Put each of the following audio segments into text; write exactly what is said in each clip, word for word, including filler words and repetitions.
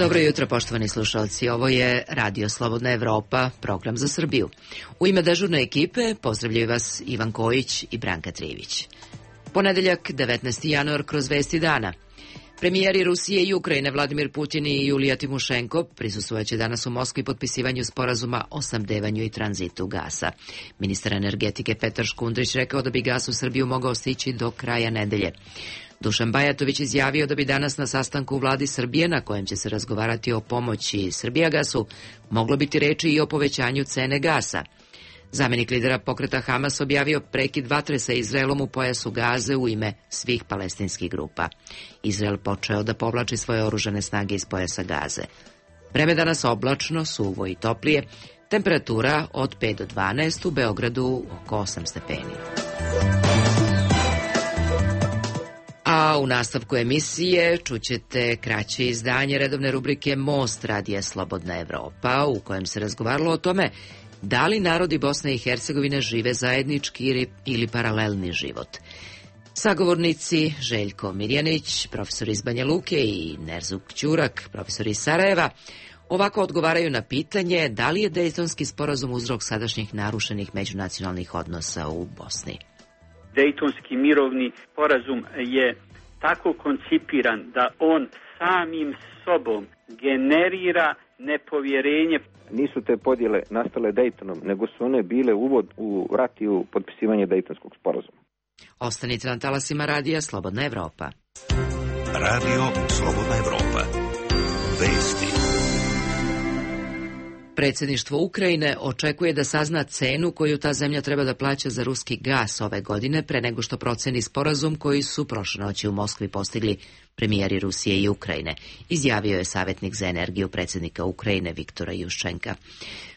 Dobro jutro, poštovani slušalci. Ovo je Radio Slobodna Evropa, program za Srbiju. U ime dežurne ekipe pozdravljaju vas Ivan Kojić i Branka Trivić. Ponedeljak, devetnaesti januar, kroz vesti dana. Premijeri Rusije i Ukrajine Vladimir Putin i Julija Timošenko prisustvojaće danas u Moskvi potpisivanju sporazuma o snabdevanju i tranzitu gasa. Ministar energetike Petar Škundrić rekao da bi gas u Srbiju mogao stići do kraja nedelje. Dušan Bajatović izjavio da bi danas na sastanku u vladi Srbije, na kojem će se razgovarati o pomoći Srbijagasu, moglo biti reči i o povećanju cene gasa. Zamenik lidera pokreta Hamas objavio prekid vatre sa Izraelom u pojasu Gaze u ime svih palestinskih grupa. Izrael počeo da povlači svoje oružane snage iz pojasa Gaze. Vreme danas oblačno, suvo i toplije, temperatura od pet do dvanaest, u Beogradu oko osam stepeni. A u nastavku emisije čućete kraće izdanje redovne rubrike Most Radija Slobodna Evropa, u kojem se razgovaralo o tome da li narodi Bosne i Hercegovine žive zajednički ili, ili paralelni život. Sagovornici Željko Mirjanić, profesor iz Banja Luke, i Nerzuk Ćurak, profesor iz Sarajeva, ovako odgovaraju na pitanje da li je Dejtonski sporazum uzrok sadašnjih narušenih međunacionalnih odnosa u Bosni. Dejtonski mirovni sporazum je tako koncipiran da on samim sobom generira nepovjerenje. Nisu te podjele nastale Dejtonom, nego su one bile uvod u rat i u potpisivanje Dejtonskog sporazuma. Ostanite na talasima Radija Slobodna Evropa. Radio Slobodna Evropa. Vesti. Predsjedništvo Ukrajine očekuje da sazna cenu koju ta zemlja treba da plaća za ruski gas ove godine pre nego što proceni sporazum koji su prošle noći u Moskvi postigli premijeri Rusije i Ukrajine, izjavio je savjetnik za energiju predsjednika Ukrajine Viktora Juščenka.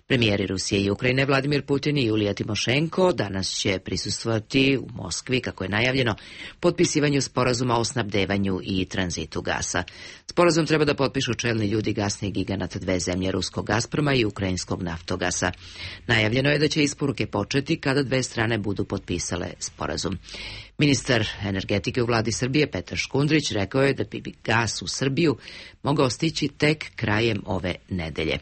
Premijeri Rusije i Ukrajine Vladimir Putin i Julija Timošenko danas će prisustvovati u Moskvi, kako je najavljeno, potpisivanju sporazuma o snabdevanju i tranzitu gasa. Sporazum treba da potpišu čelni ljudi gasnih giganata dve zemlje, ruskog Gazproma i ukrajinskog Naftogasa. Najavljeno je da će isporuke početi kada dve strane budu potpisale sporazum. Ministar energetike u vladi Srbije Petar Škundrić rekao je da bi gas u Srbiju mogao stići tek krajem ove nedelje.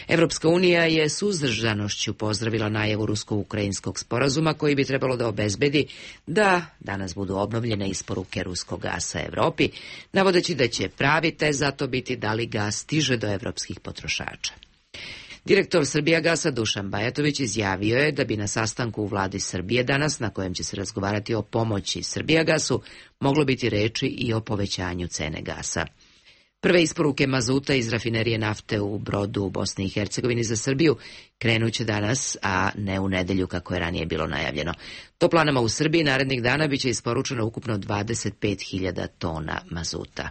Evropska unija je suzdržanošću pozdravila najavu rusko-ukrajinskog sporazuma koji bi trebalo da obezbedi da danas budu obnovljene isporuke ruskog gasa Evropi, navodeći da će pravi test za to biti da li gas stiže do evropskih potrošača. Direktor Srbijagasa Dušan Bajatović izjavio je da bi na sastanku u vladi Srbije danas, na kojem će se razgovarati o pomoći Srbijagasu, moglo biti reči i o povećanju cene gasa. Prve isporuke mazuta iz rafinerije nafte u Brodu u Bosni i Hercegovini za Srbiju krenuće danas, a ne u nedelju kako je ranije bilo najavljeno. Toplanama u Srbiji narednih dana biće isporučeno ukupno dvadeset pet hiljada tona mazuta.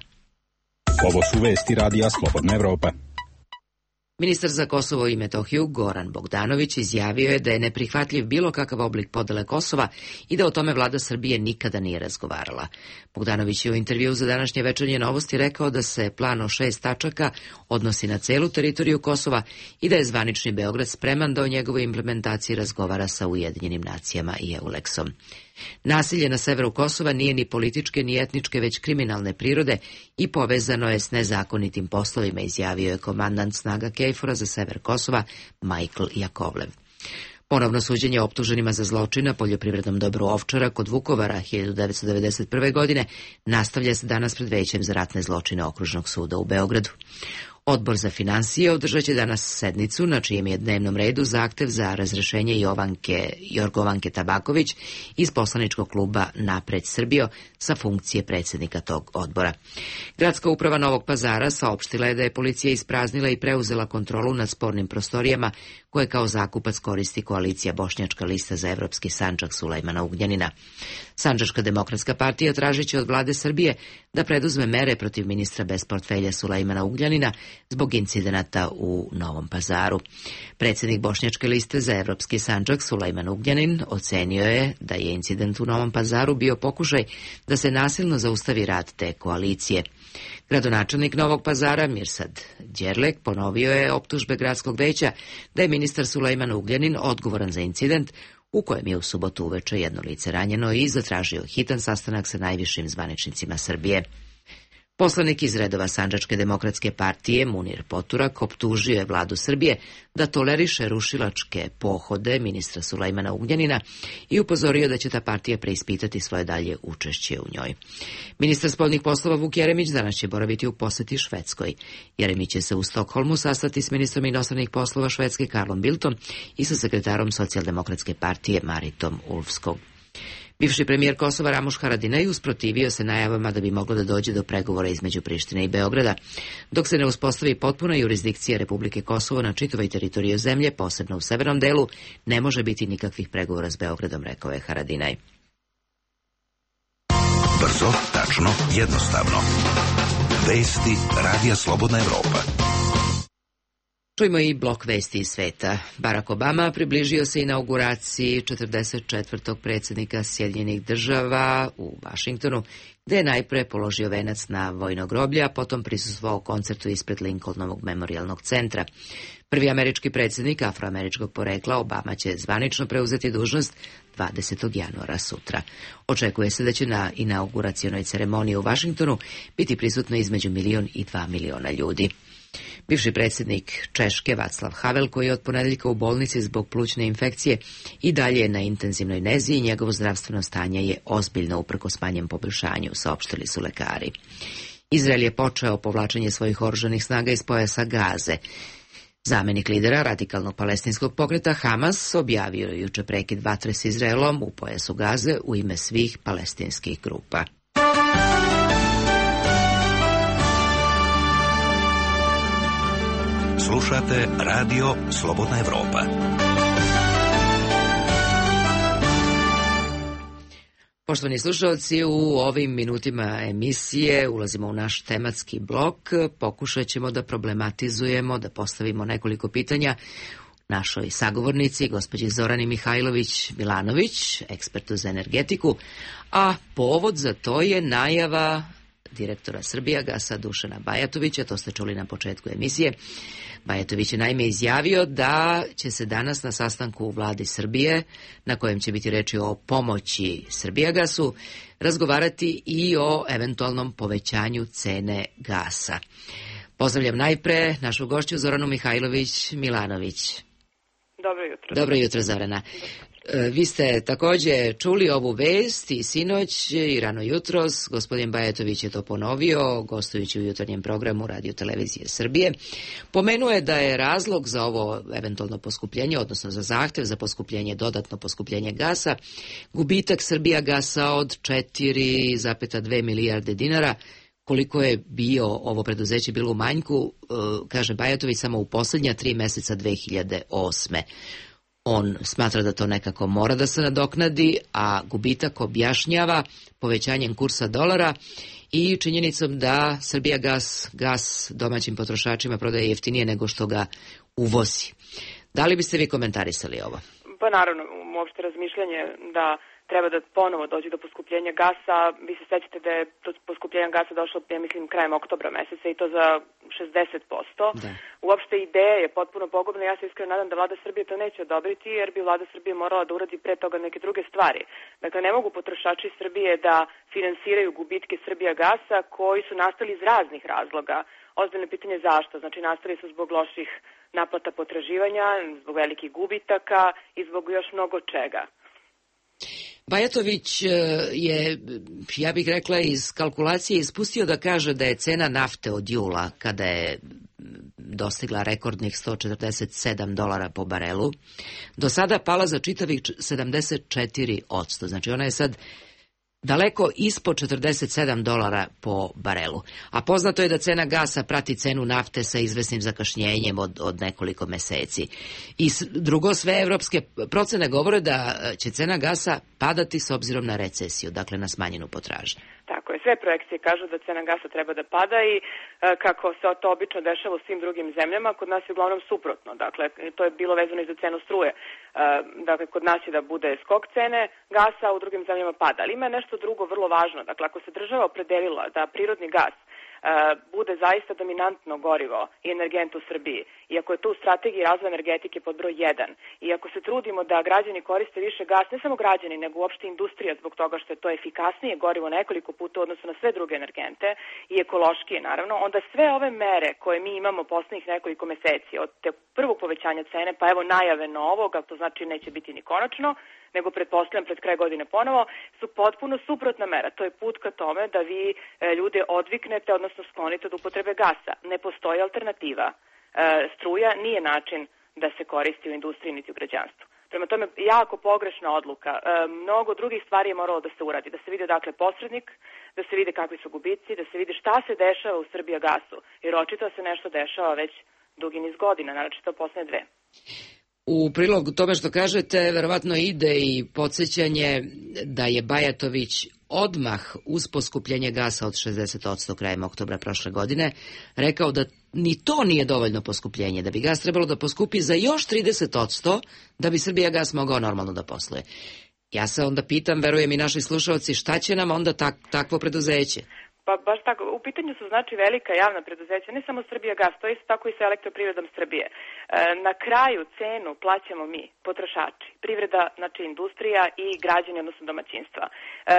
Ovo su vesti Radija Slobodna Evropa. Ministar za Kosovo i Metohiju Goran Bogdanović izjavio je da je neprihvatljiv bilo kakav oblik podele Kosova i da o tome vlada Srbije nikada nije razgovarala. Bogdanović je u intervjuu za današnje Večernje novosti rekao da se plan o šest tačaka odnosi na celu teritoriju Kosova i da je zvanični Beograd spreman da o njegovoj implementaciji razgovara sa Ujedinjenim nacijama i Euleksom. Nasilje na severu Kosova nije ni političke ni etničke, već kriminalne prirode i povezano je s nezakonitim poslovima, izjavio je komandant snaga KFOR-a za sever Kosova Michael Jakovlev. Ponovno suđenje optuženima za zločin na poljoprivrednom dobru Ovčara kod Vukovara hiljadu devetsto devedeset prve. godine nastavlja se danas pred Većem za ratne zločine Okružnog suda u Beogradu. Odbor za finansije održat će danas sednicu na čijem je dnevnom redu zahtev za razrešenje Jovanke, Jorgovanke Tabaković iz poslaničkog kluba Napred Srbijo sa funkcije predsjednika tog odbora. Gradska uprava Novog Pazara saopštila je da je policija ispraznila i preuzela kontrolu nad spornim prostorijama koje kao zakupac koristi koalicija Bošnjačka lista za evropski Sandžak Sulejmana Ugljanina. Sandžačka demokratska partija tražit će od vlade Srbije da preduzme mere protiv ministra bez portfelja Sulejmana Ugljanina zbog incidenata u Novom Pazaru. Predsjednik Bošnjačke liste za evropski Sandžak Sulejman Ugljanin ocenio je da je incident u Novom Pazaru bio pokušaj da se nasilno zaustavi rad te koalicije. Gradonačelnik Novog Pazara Mirsad Đerlek ponovio je optužbe gradskog veća da je ministar Sulejman Ugljanin odgovoran za incident u kojem je u subotu uveče jedno lice ranjeno i zatražio hitan sastanak sa najvišim zvaničnicima Srbije. Poslanik iz redova Sandžačke demokratske partije Munir Poturak optužio je vladu Srbije da toleriše rušilačke pohode ministra Sulejmana Ugljanina i upozorio da će ta partija preispitati svoje dalje učešće u njoj. Ministar spoljnih poslova Vuk Jeremić danas će boraviti u poseti Švedskoj. Jeremić će se u Stokholmu sastati s ministrom inostranih poslova Švedske Karlom Bildtom i sa sekretarom Socijaldemokratske partije Maritom Ulfskog. Bivši premijer Kosova Ramuš Haradinaj usprotivio se najavama da bi moglo da dođe do pregovora između Prištine i Beograda, dok se ne uspostavi potpuna jurisdikcija Republike Kosovo na čitavoj teritoriji zemlje, posebno u severnom delu, ne može biti nikakvih pregovora s Beogradom, rekao je Haradinaj. Brzo, tačno, jednostavno. Vesti Radija Slobodna Evropa. Čujmo i blok vesti iz sveta. Barack Obama približio se inauguraciji četrdeset četvrtog predsjednika Sjedinjenih država u Vašingtonu, gde je najpre položio venac na vojno groblje, a potom prisustvovao koncertu ispred Lincolnovog memorijalnog centra. Prvi američki predsjednik afroameričkog porekla, Obama će zvanično preuzeti dužnost dvadesetog januara sutra. Očekuje se da će na inauguracionoj ceremoniji u Vašingtonu biti prisutno između milion i dva miliona ljudi. Bivši predsjednik Češke Vaclav Havel, koji je od ponedeljka u bolnici zbog plućne infekcije, i dalje je na intenzivnoj nezi i njegovo zdravstveno stanje je ozbiljno uprkos manjem poboljšanju, saopštili su lekari. Izrael je počeo povlačenje svojih oružanih snaga iz pojasa Gaze. Zamenik lidera radikalnog palestinskog pokreta Hamas objavio je juče prekid vatre s Izraelom u pojasu Gaze u ime svih palestinskih grupa. Slušate Radio Slobodna Evropa. Poštovani slušalci, u ovim minutima emisije ulazimo u naš tematski blok. Pokušat ćemo da problematizujemo, da postavimo nekoliko pitanja našoj sagovornici, gospođi Zorani Mihajlović-Milanović, ekspertu za energetiku, a povod za to je najava direktora Srbijagasa Dušana Bajatovića, to ste čuli na početku emisije. Bajatović je naime izjavio da će se danas na sastanku u vladi Srbije, na kojem će biti reči o pomoći Srbijagasu, razgovarati i o eventualnom povećanju cene gasa. Pozdravljam najpre našu gošću Zoranu Mihajlović-Milanović. Dobro jutro. Dobro jutro, Zorana. Vi ste također čuli ovu vest i sinoć i rano jutros. Gospodin Bajatović je to ponovio, gostujući u jutarnjem programu Radio Televizije Srbije. Pomenuo je da je razlog za ovo eventualno poskupljenje, odnosno za zahtev za poskupljenje, dodatno poskupljenje gasa, gubitak Srbijagasa od četiri zarez dve milijarde dinara. Koliko je bio ovo preduzeće bilo u manjku, kaže Bajatović, samo u posljednja tri meseca dve hiljade osme. On smatra da to nekako mora da se nadoknadi, a gubitak objašnjava povećanjem kursa dolara i činjenicom da Srbijagas gas domaćim potrošačima prodaje jeftinije nego što ga uvozi. Da li biste vi komentarisali ovo? Pa naravno, uopšte razmišljanje da treba da ponovo dođe do poskupljenja gasa. Vi se sećate da je to poskupljenje gasa došlo, ja mislim, krajem oktobra meseca i to za šezdeset posto. Da. Uopšte ideja je potpuno pogubna. Ja se iskreno nadam da vlada Srbije to neće odobriti, jer bi vlada Srbije morala da uradi pre toga neke druge stvari. Dakle, ne mogu potrošači Srbije da finansiraju gubitke Srbijagasa koji su nastali iz raznih razloga. Ozbiljno pitanje zašto. Znači, nastali su zbog loših naplata potraživanja, zbog velikih gubitaka i zbog još mnogo čega. Bajatović je, ja bih rekla, iz kalkulacije ispustio da kaže da je cena nafte od jula, kada je dostigla rekordnih sto četrdeset sedam dolara po barelu, do sada pala za čitavih sedamdeset četiri posto. Znači ona je sad daleko ispod četrdeset sedam dolara po barelu. A poznato je da cena gasa prati cenu nafte sa izvesnim zakašnjenjem od, od nekoliko meseci. I drugo, sve evropske procene govore da će cena gasa padati s obzirom na recesiju, dakle na smanjenu potražnju. Tako je, sve projekcije kažu da cena gasa treba da pada i e, kako se to obično dešava u svim drugim zemljama, kod nas je uglavnom suprotno. Dakle, to je bilo vezano i za cenu struje. E, dakle, kod nas je da bude skok cene gasa, a u drugim zemljama pada. Ali ima nešto drugo vrlo važno. Dakle, ako se država opredelila da prirodni gas bude zaista dominantno gorivo i energent u Srbiji, i ako je to u strategiji razvoja energetike pod broj jedan, i ako se trudimo da građani koriste više gas, ne samo građani, nego uopšte industrija zbog toga što je to efikasnije gorivo nekoliko puta u odnosu na sve druge energente i ekološkije naravno, onda sve ove mere koje mi imamo poslednjih nekoliko meseci, od te prvog povećanja cene, pa evo najave novog, ali to znači neće biti ni konačno, nego pretpostavljam pred kraj godine ponovo, su potpuno suprotna mera. To je put ka tome da vi e, ljude odviknete, odnosno sklonite od upotrebe gasa. Ne postoji alternativa. E, struja nije način da se koristi u industriji niti u građanstvu. Prema tome, jako pogrešna odluka. E, mnogo drugih stvari je moralo da se uradi. Da se vidi dakle posrednik, da se vide kakvi su gubici, da se vidi šta se dešava u Srbijagasu. Jer očito se nešto dešava već dugi niz godina, naročito poslednje dve. U prilog tome što kažete, verovatno ide i podsjećanje da je Bajatović odmah uz poskupljenje gasa od šezdeset posto krajem oktobra prošle godine rekao da ni to nije dovoljno poskupljenje, da bi gas trebalo da poskupi za još trideset posto da bi Srbijagas mogao normalno da posluje. Ja se onda pitam, verujem i naši slušalci, šta će nam onda tak, takvo preduzeće? Pa baš tako, u pitanju su znači velika javna preduzeća, ne samo Srbijagas, to je isto tako i sa Elektroprivredom Srbije. E, na kraju cenu plaćamo mi, potrošači, privreda, znači industrija i građani, odnosno domaćinstva. E,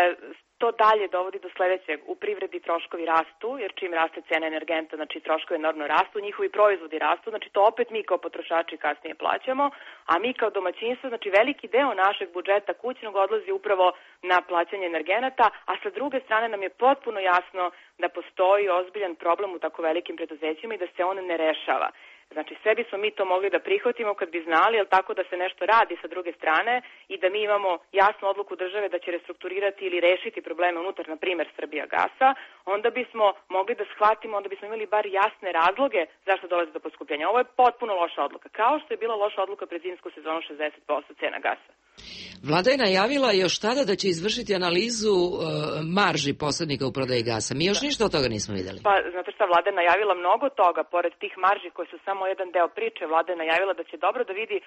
To dalje dovodi do sledećeg. U privredi troškovi rastu, jer čim raste cena energenta, znači troškovi enormno rastu, njihovi proizvodi rastu, znači to opet mi kao potrošači kasnije plaćamo, a mi kao domaćinstvo, znači veliki deo našeg budžeta kućnog odlazi upravo na plaćanje energenata, a sa druge strane nam je potpuno jasno da postoji ozbiljan problem u tako velikim preduzećima i da se on ne rešava. Znači, sve bismo mi to mogli da prihvatimo kad bi znali, ali tako da se nešto radi sa druge strane i da mi imamo jasnu odluku države da će restrukturirati ili rešiti probleme unutar, na primer, Srbijagasa, onda bismo mogli da shvatimo, onda bismo imali bar jasne razloge zašto dolazi do poskupljenja. Ovo je potpuno loša odluka, kao što je bila loša odluka pred zimsku sezonu šezdeset posto cena gasa. Vlada je najavila još tada da će izvršiti analizu e, marži posrednika u prodaji gasa. Mi još da. ništa od toga nismo videli. Pa, znate šta, Vlada je najavila mnogo toga, pored tih marži koje su samo jedan deo priče. Vlada je najavila da će dobro da vidi e,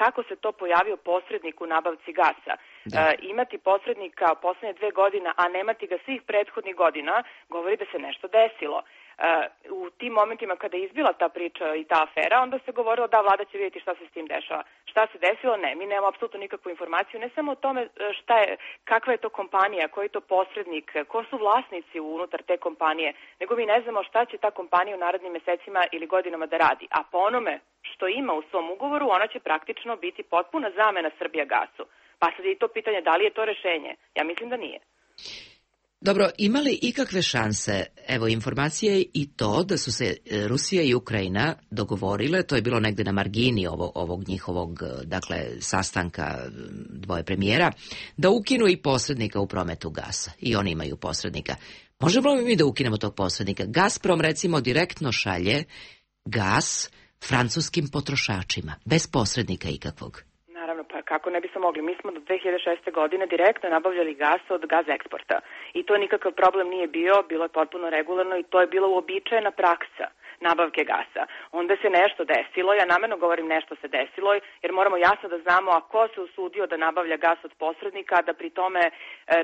kako se to pojavio posrednik u nabavci gasa. Da. E, imati posrednika poslednje dve godine, a nemati ga svih prethodnih godina, govori da se nešto desilo. Uh, u tim momentima kada je izbila ta priča i ta afera, onda se govorilo da vlada će vidjeti šta se s tim dešava. Šta se desilo? Ne, mi nemamo apsolutno nikakvu informaciju, ne samo o tome šta je, kakva je to kompanija, koji je to posrednik, ko su vlasnici unutar te kompanije, nego mi ne znamo šta će ta kompanija u narednim mesecima ili godinama da radi. A po onome što ima u svom ugovoru, ona će praktično biti potpuna zamena Srbijagasu. Pa sad je i to pitanje da li je to rešenje. Ja mislim da nije. Dobro, ima li ikakve šanse, evo informacije i to da su se Rusija i Ukrajina dogovorile, to je bilo negde na margini ovog, ovog njihovog, dakle, sastanka dvoje premijera, da ukinu i posrednika u prometu gasa. I oni imaju posrednika. Možemo li mi da ukinemo tog posrednika? Gazprom, recimo, direktno šalje gas francuskim potrošačima, bez posrednika ikakvog. Pa kako ne bismo mogli? Mi smo do dve hiljade šeste. godine direktno nabavljali gas od Gaz eksporta. I to nikakav problem nije bio, bilo je potpuno regularno i to je bila uobičajena praksa nabavke gasa. Onda se nešto desilo, ja namerno govorim nešto se desilo, jer moramo jasno da znamo a ko se usudio da nabavlja gas od posrednika, da pri tome e,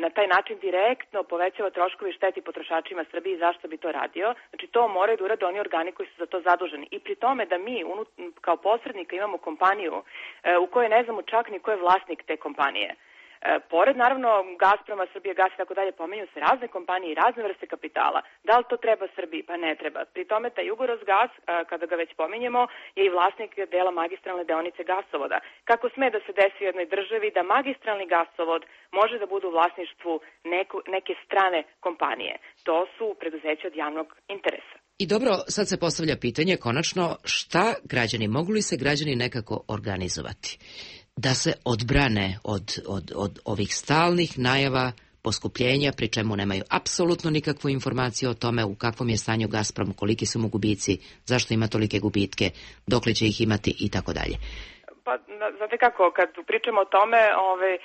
na taj način direktno povećava troškovi i šteti potrošačima Srbije i zašto bi to radio. Znači to moraju da urade oni organi koji su za to zaduženi. I pri tome da mi unut, kao posrednika imamo kompaniju e, u kojoj ne znamo čak ni ko je vlasnik te kompanije. E, pored, naravno, Gazproma, Srbijagas i tako dalje, pomenju se razne kompanije i razne vrste kapitala. Da li to treba Srbiji? Pa ne treba. Pri tome, taj Jugorosgas, e, kada ga već pomenjemo, je i vlasnik dela magistralne deonice gasovoda. Kako sme da se desi u jednoj državi da magistralni gasovod može da bude u vlasništvu neku, neke strane kompanije? To su preduzeća od javnog interesa. I dobro, sad se postavlja pitanje, konačno, šta građani, mogu li se građani nekako organizovati da se odbrane od, od, od ovih stalnih najava poskupljenja, pri čemu nemaju apsolutno nikakvu informaciju o tome u kakvom je stanju Gazprom, koliki su mu gubici, zašto ima tolike gubitke, dokle će ih imati i tako dalje. Pa, znate kako, kad pričamo o tome, ove,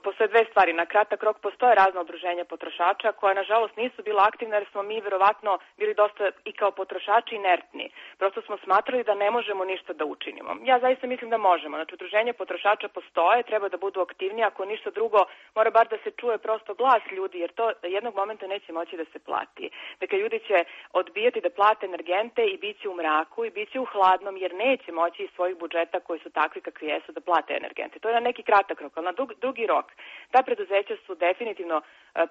postoje dve stvari. Na kratak rok postoje razna udruženja potrošača koja nažalost nisu bila aktivna jer smo mi verovatno bili dosta i kao potrošači inertni. Prosto smo smatrali da ne možemo ništa da učinimo. Ja zaista mislim da možemo. Znači, udruženja potrošača postoje, treba da budu aktivnije, ako ništa drugo, mora bar da se čuje prosto glas ljudi, jer to jednog momenta neće moći da se plati. Dakle, ljudi će odbijati da plate energente i bit će u mraku i bit će u hladnom, jer neće moći iz svojih budžeta koji su takvi kakvi jesu da plate energente. To je na neki kratak rok, ali na dug, dugi rok. Ta preduzeća su definitivno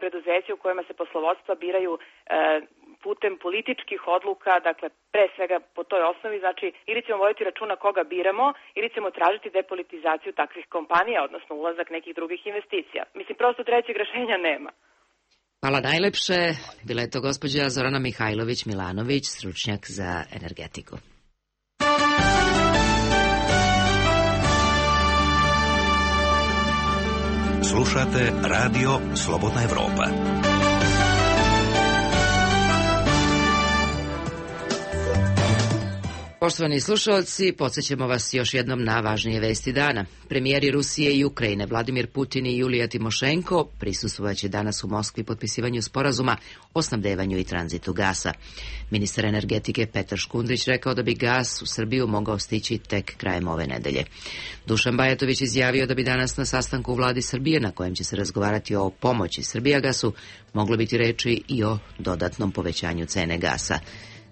preduzeća u kojima se poslovodstva biraju e, putem političkih odluka, dakle pre svega po toj osnovi, znači ili ćemo voditi računa koga biramo ili ćemo tražiti depolitizaciju takvih kompanija, odnosno ulazak nekih drugih investicija. Mislim, prosto trećeg rešenja nema. Hvala najlepše. Bila je to gospođa Zorana Mihajlović-Milanović, stručnjak za energetiku. Slušate Radio Slobodna Evropa. Poštovani slušalci, podsjećamo vas još jednom na važnije vesti dana. Premijeri Rusije i Ukrajine Vladimir Putin i Julija Timošenko prisustvovaće danas u Moskvi potpisivanju sporazuma o snabdevanju i tranzitu gasa. Ministar energetike Petar Škundrić rekao da bi gas u Srbiju mogao stići tek krajem ove nedelje. Dušan Bajatović izjavio da bi danas na sastanku u vladi Srbije, na kojem će se razgovarati o pomoći Srbijagasu, moglo biti reči i o dodatnom povećanju cene gasa.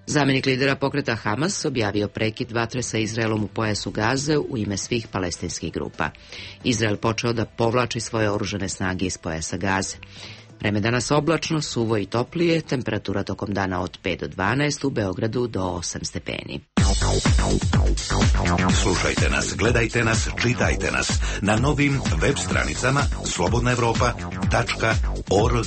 Zamenik lidera pokreta Hamas objavio prekid vatre sa Izraelom u pojasu Gaze u ime svih palestinskih grupa. Izrael počeo da povlači svoje oružane snage iz pojasa Gaze. Vreme danas oblačno, suvo i toplije, temperatura tokom dana od pet do dvanaest, u Beogradu do osam stepeni. Slušajte nas, gledajte nas, čitajte nas na novim web stranicama slobodna evropa tačka org.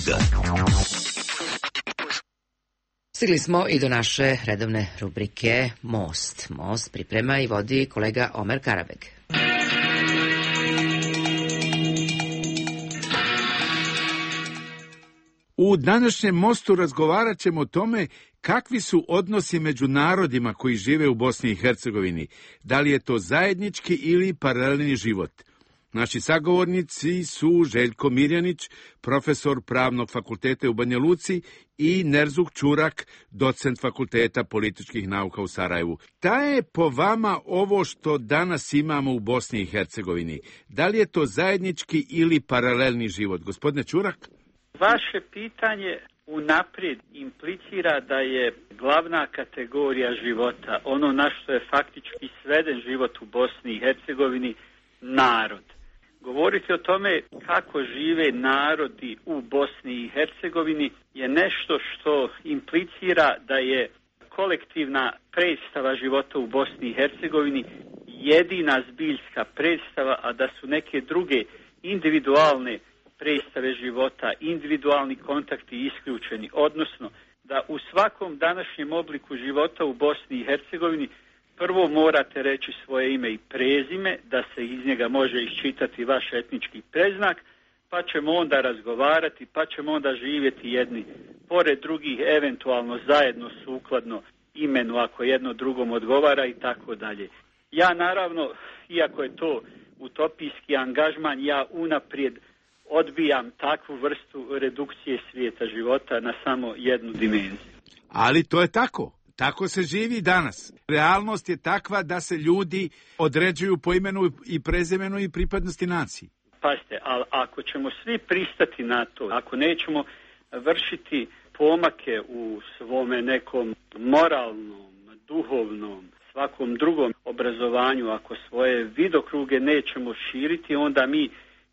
Stigli smo i do naše redovne rubrike Most. Most priprema i vodi kolega Omer Karabeg. U današnjem Mostu razgovarat ćemo o tome kakvi su odnosi među narodima koji žive u Bosni i Hercegovini. Da li je to zajednički ili paralelni život? Naši sagovornici su Željko Mirjanić, profesor Pravnog fakulteta u Banja Luci, i Nerzuk Ćurak, docent Fakulteta političkih nauka u Sarajevu. Da je po vama ovo što danas imamo u Bosni i Hercegovini? Da li je to zajednički ili paralelni život? Gospodine Ćurak? Vaše pitanje unaprijed implicira da je glavna kategorija života, ono na što je faktički sveden život u Bosni i Hercegovini, narod. Govoriti o tome kako žive narodi u Bosni i Hercegovini je nešto što implicira da je kolektivna predstava života u Bosni i Hercegovini jedina zbiljska predstava, a da su neke druge individualne predstave života, individualni kontakti isključeni, odnosno da u svakom današnjem obliku života u Bosni i Hercegovini prvo morate reći svoje ime i prezime, da se iz njega može iščitati vaš etnički preznak, pa ćemo onda razgovarati, pa ćemo onda živjeti jedni pored drugih, eventualno zajedno sukladno imenu ako jedno drugom odgovara i tako dalje. Ja naravno, iako je to utopijski angažman, ja unaprijed odbijam takvu vrstu redukcije svijeta života na samo jednu dimenziju. Ali to je tako. Tako se živi danas. Realnost je takva da se ljudi određuju po imenu i prezimenu i pripadnosti naciji. Pazite, ali ako ćemo svi pristati na to, ako nećemo vršiti pomake u svome nekom moralnom, duhovnom, svakom drugom obrazovanju, ako svoje vidokruge nećemo širiti, onda mi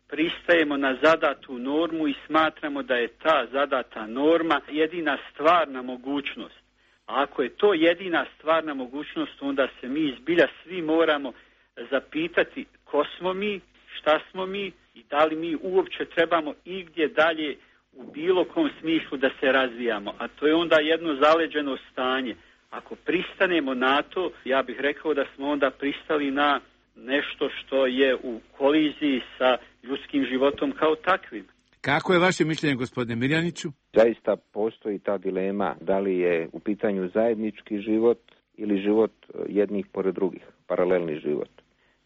pristajemo na zadatu normu i smatramo da je ta zadata norma jedina stvarna mogućnost. A ako je to jedina stvarna mogućnost, onda se mi zbilja svi moramo zapitati ko smo mi, šta smo mi i da li mi uopće trebamo igdje dalje u bilo kom smislu da se razvijamo. A to je onda jedno zaleđeno stanje. Ako pristanemo na to, ja bih rekao da smo onda pristali na nešto što je u koliziji sa ljudskim životom kao takvim. Kako je vaše mišljenje, gospodine Mirjaniću? Zaista postoji ta dilema da li je u pitanju zajednički život ili život jednih pored drugih, paralelni život.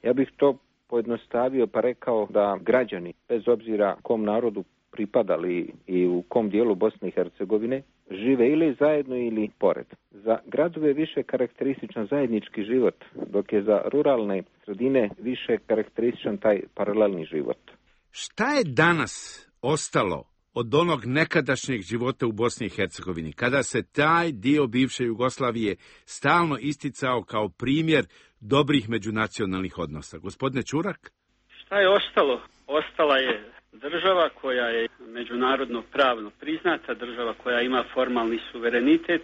Ja bih to pojednostavio pa rekao da građani, bez obzira kom narodu pripadali i u kom dijelu Bosne i Hercegovine, žive ili zajedno ili pored. Za gradove je više karakterističan zajednički život, dok je za ruralne sredine više karakterističan taj paralelni život. Šta je danas ostalo od onog nekadašnjeg života u Bosni i Hercegovini, kada se taj dio bivše Jugoslavije stalno isticao kao primjer dobrih međunacionalnih odnosa? Gospodine Čurak? Šta je ostalo? Ostala je država koja je međunarodno pravno priznata, država koja ima formalni suverenitet,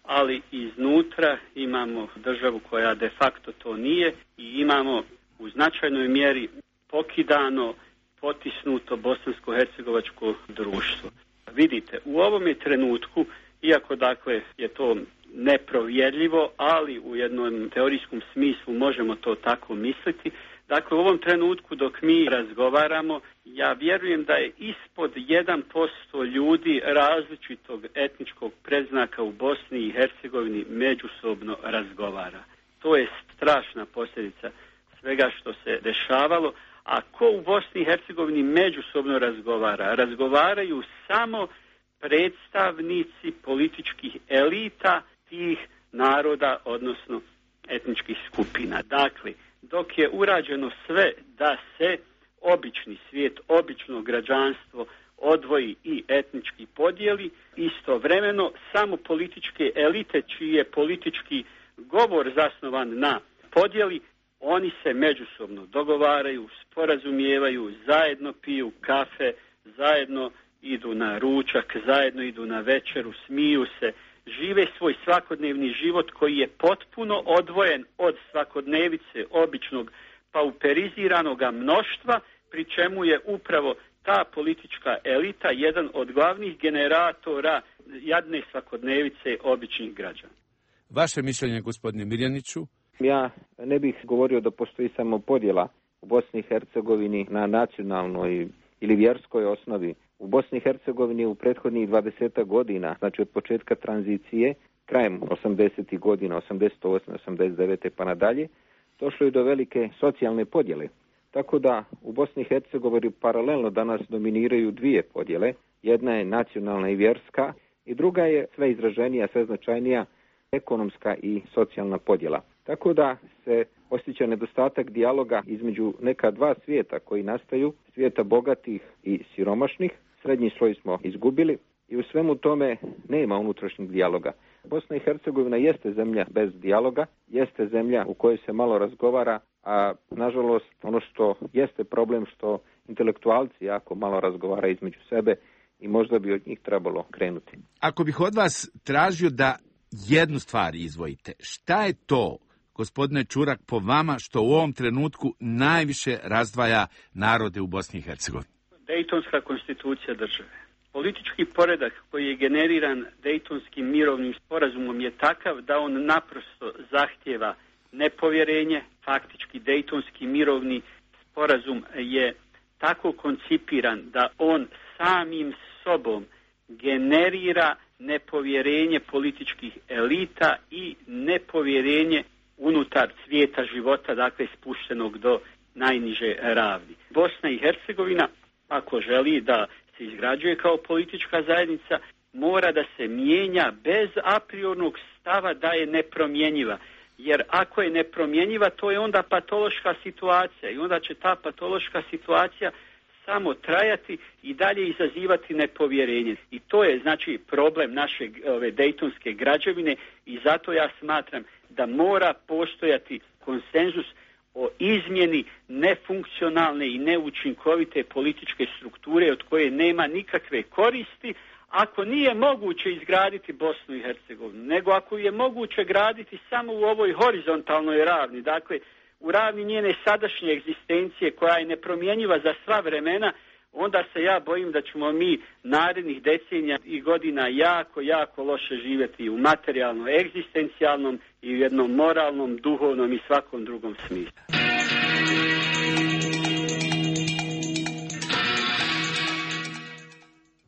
ali iznutra imamo državu koja de facto to nije i imamo u značajnoj mjeri pokidano, potisnuto bosansko-hercegovačko društvo. Vidite, u ovome trenutku, iako dakle je to neprovjerljivo, ali u jednom teorijskom smislu možemo to tako misliti, dakle u ovom trenutku dok mi razgovaramo, ja vjerujem da je ispod jedan posto ljudi različitog etničkog predznaka u Bosni i Hercegovini međusobno razgovara. To je strašna posljedica svega što se dešavalo. A ko u Bosni i Hercegovini međusobno razgovara? Razgovaraju samo predstavnici političkih elita tih naroda, odnosno etničkih skupina. Dakle, dok je urađeno sve da se obični svijet, obično građanstvo odvoji i etnički podijeli, istovremeno samo političke elite čiji je politički govor zasnovan na podjeli, oni se međusobno dogovaraju, sporazumijevaju, zajedno piju kafe, zajedno idu na ručak, zajedno idu na večeru, smiju se, žive svoj svakodnevni život koji je potpuno odvojen od svakodnevice običnog pauperiziranog mnoštva, pri čemu je upravo ta politička elita jedan od glavnih generatora jadne svakodnevice običnih građana. Vaše mišljenje, gospodine Mirjaniću? Ja ne bih govorio da postoji samo podjela u Bosni i Hercegovini na nacionalnoj ili vjerskoj osnovi. U Bosni i Hercegovini u prethodnih dvadeset godina, znači od početka tranzicije, krajem osamdesetih godina, osamdeset osme, osamdeset devete pa nadalje, došlo je do velike socijalne podjele. Tako da u Bosni i Hercegovini paralelno danas dominiraju dvije podjele. Jedna je nacionalna i vjerska i druga je sve izraženija, sve značajnija ekonomska i socijalna podjela. Tako da se osjeća nedostatak dijaloga između neka dva svijeta koji nastaju, svijeta bogatih i siromašnih. Srednji sloj smo izgubili i u svemu tome nema unutrašnjeg dijaloga. Bosna i Hercegovina jeste zemlja bez dijaloga, jeste zemlja u kojoj se malo razgovara, a nažalost ono što jeste problem što intelektualci jako malo razgovara između sebe i možda bi od njih trebalo krenuti. Ako bih od vas tražio da jednu stvar izvojite, šta je to, gospodine Čurak, po vama što u ovom trenutku najviše razdvaja narode u Bosni i Hercegovini? Dejtonska konstitucija države. Politički poredak koji je generiran Dejtonskim mirovnim sporazumom je takav da on naprosto zahtjeva nepovjerenje. Faktički Dejtonski mirovni sporazum je tako koncipiran da on samim sobom generira nepovjerenje političkih elita i nepovjerenje unutar svijeta života, dakle spuštenog do najniže ravni. Bosna i Hercegovina, ako želi da se izgrađuje kao politička zajednica, mora da se mijenja bez apriornog stava da je nepromjenjiva. Jer ako je nepromjenjiva, to je onda patološka situacija i onda će ta patološka situacija samo trajati i dalje izazivati nepovjerenje. I to je znači problem naše ove dejtonske građevine i zato ja smatram da mora postojati konsenzus o izmjeni nefunkcionalne i neučinkovite političke strukture od koje nema nikakve koristi, ako nije moguće izgraditi Bosnu i Hercegovinu, nego ako je moguće graditi samo u ovoj horizontalnoj ravni, dakle u ravni njene sadašnje egzistencije koja je nepromjenjiva za sva vremena, onda se ja bojim da ćemo mi narednih decenija i godina jako, jako loše živjeti u materijalnom, egzistencijalnom i u jednom moralnom, duhovnom i svakom drugom smislu.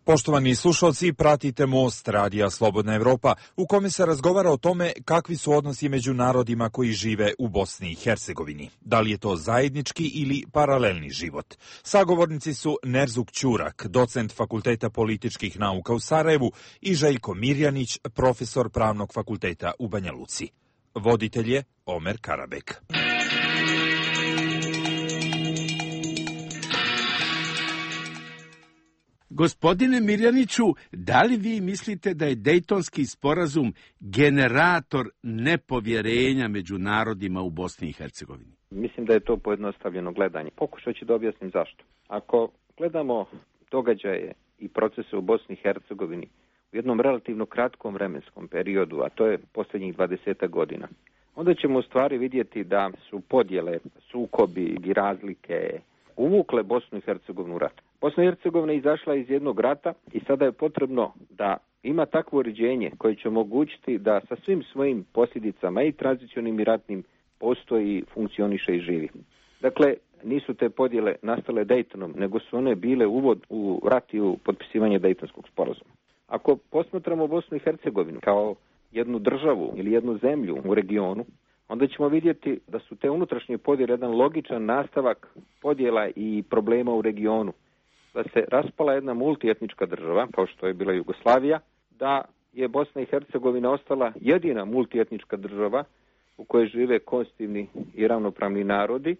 Poštovani slušalci, pratite Most radija Slobodna Evropa, u kome se razgovara o tome kakvi su odnosi među narodima koji žive u Bosni i Hercegovini. Da li je to zajednički ili paralelni život? Sagovornici su Nerzuk Ćurak, docent Fakulteta političkih nauka u Sarajevu, i Željko Mirjanić, profesor Pravnog fakulteta u Banja Luci. Voditelj je Omer Karabek. Gospodine Mirjaniću, da li vi mislite da je Dejtonski sporazum generator nepovjerenja među narodima u Bosni i Hercegovini? Mislim da je to pojednostavljeno gledanje. Pokušat ću da objasnim zašto. Ako gledamo događaje i procese u Bosni i Hercegovini u jednom relativno kratkom vremenskom periodu, a to je posljednjih dvadeset godina, onda ćemo u stvari vidjeti da su podjele, sukobi i razlike uvukle Bosnu i Hercegovinu u rat. Bosna i Hercegovina je izašla iz jednog rata i sada je potrebno da ima takvo uređenje koje će omogućiti da sa svim svojim posljedicama i tranzicionim i ratnim postoji, funkcioniše i živi. Dakle, nisu te podjele nastale Dejtonom, nego su one bile uvod u rat i u potpisivanje Dejtonskog sporazuma. Ako posmatramo Bosnu i Hercegovinu kao jednu državu ili jednu zemlju u regionu, onda ćemo vidjeti da su te unutrašnje podjele jedan logičan nastavak podjela i problema u regionu. Da se raspala jedna multietnička država, kao što je bila Jugoslavija, da je Bosna i Hercegovina ostala jedina multietnička država u kojoj žive konstitutivni i ravnopravni narodi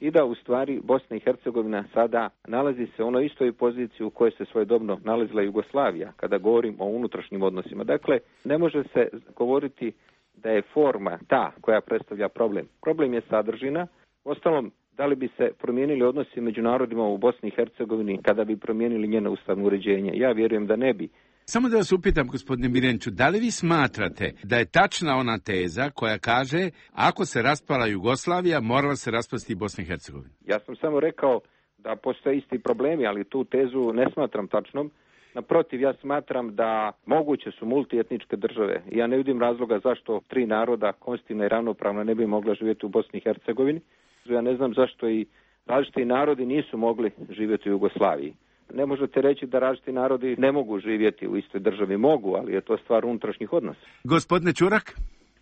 i da u stvari Bosna i Hercegovina sada nalazi se u onoj istoj poziciji u kojoj se svojedobno nalazila Jugoslavija, kada govorim o unutrašnjim odnosima. Dakle, ne može se govoriti da je forma ta koja predstavlja problem. Problem je sadržina. Ostalom, da li bi se promijenili odnosi među narodima u Bosni i Hercegovini kada bi promijenili njeno ustavno uređenje? Ja vjerujem da ne bi. Samo da vas upitam, gospodine Mirjaniću, da li vi smatrate da je tačna ona teza koja kaže ako se raspala Jugoslavija, morala se raspasti i Bosna i Hercegovina? Ja sam samo rekao da postoje isti problemi, ali tu tezu ne smatram tačnom. Naprotiv, ja smatram da moguće su multietničke države. Ja ne vidim razloga zašto tri naroda, konstitutivna i ravnopravna, ne bi mogla živjeti u Bosni i Hercegovini. Ja ne znam zašto i različiti narodi nisu mogli živjeti u Jugoslaviji. Ne možete reći da različiti narodi ne mogu živjeti u istoj državi. Mogu, ali je to stvar unutrašnjih odnosa. Gospodine Ćurak?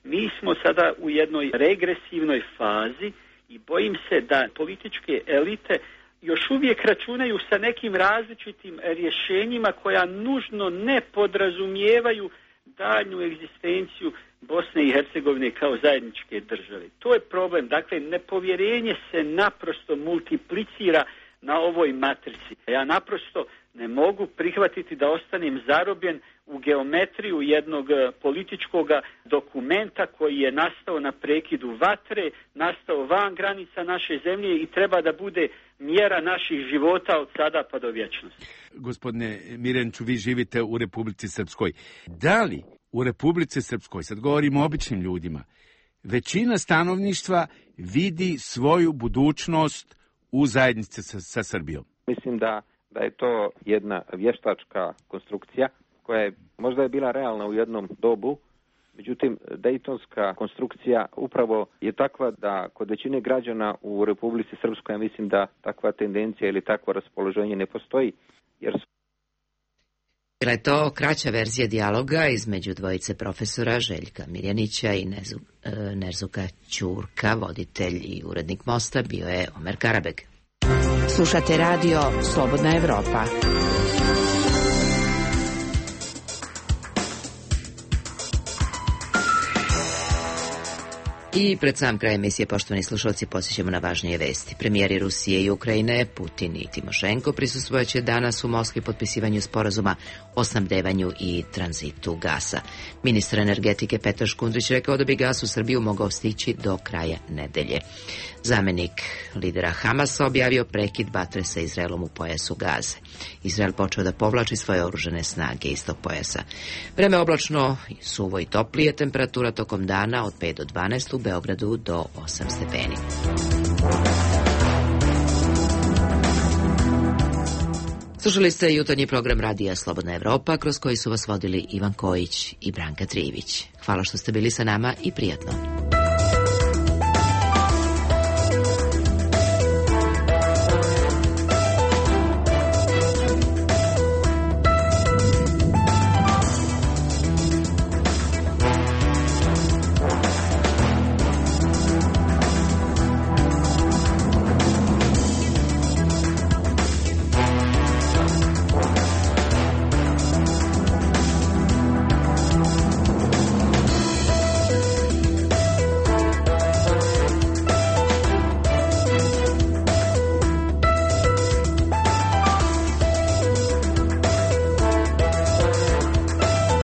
Mi smo sada u jednoj regresivnoj fazi i bojim se da političke elite još uvijek računaju sa nekim različitim rješenjima koja nužno ne podrazumijevaju daljnju egzistenciju Bosne i Hercegovine kao zajedničke države. To je problem. Dakle, nepovjerenje se naprosto multiplicira na ovoj matrici. Ja naprosto ne mogu prihvatiti da ostanem zarobljen u geometriju jednog političkog dokumenta koji je nastao na prekidu vatre, nastao van granica naše zemlje i treba da bude mjera naših života od sada pa do vječnosti. Gospodine Mirjaniću, vi živite u Republici Srpskoj. Da li u Republici Srpskoj, sad govorimo o običnim ljudima, većina stanovništva vidi svoju budućnost u zajednici sa, sa Srbijom? Mislim da, da je to jedna vještačka konstrukcija koja je možda je bila realna u jednom dobu, međutim Dejtonska konstrukcija upravo je takva da kod većine građana u Republici Srpskoj ja mislim da takva tendencija ili takvo raspoloženje ne postoji, jer su... Bila je to kraća verzija dijaloga između dvojice profesora Željka Mirjanića i Nezu, e, Nerzuka Ćurka, voditelj i urednik Mosta bio je Omer Karabeg. Slušate radio Slobodna Evropa. I pred sam kraj emisije, poštovani slušalci, posjećamo na važnije vesti. Premijeri Rusije i Ukrajine, Putin i Timošenko, prisustvojaće danas u Moskvi potpisivanju sporazuma o snabdevanju i tranzitu gasa. Ministar energetike Petar Škundrić rekao da bi gas u Srbiju mogao stići do kraja nedelje. Zamenik lidera Hamasa objavio prekid vatre sa Izraelom u pojasu Gaze. Izrael počeo da povlači svoje oružane snage iz tog pojasa. Vreme oblačno, suvo i toplije, temperatura tokom dana od pet do dvanaest, u Beogradu do osam stepeni. Slušali ste jutarnji program Radija Slobodna Evropa, kroz koji su vas vodili Ivan Kojić i Branka Trivić. Hvala što ste bili sa nama i prijatno.